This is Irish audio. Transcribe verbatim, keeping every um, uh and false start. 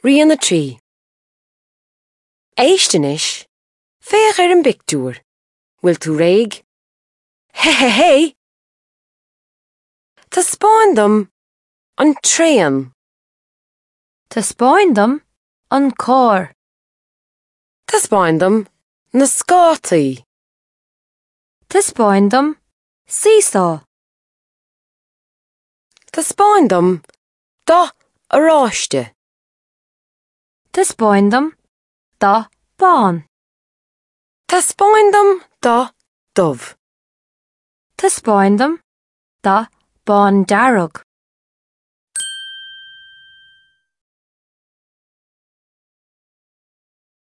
Rian a trí. Éist anois, féach ar an bpictiúr. Bhfuil tú réidh? Hé hé hé! Taispeáin dom an traein. Taispeáin dom an carr. Taispeáin dom na scátaí. Taispeáin dom seesaw. Taispeáin dom dath oráiste. Taispeáin dom dath bán. Taispeáin dom dath dubh. Taispeáin dom dath bándearg.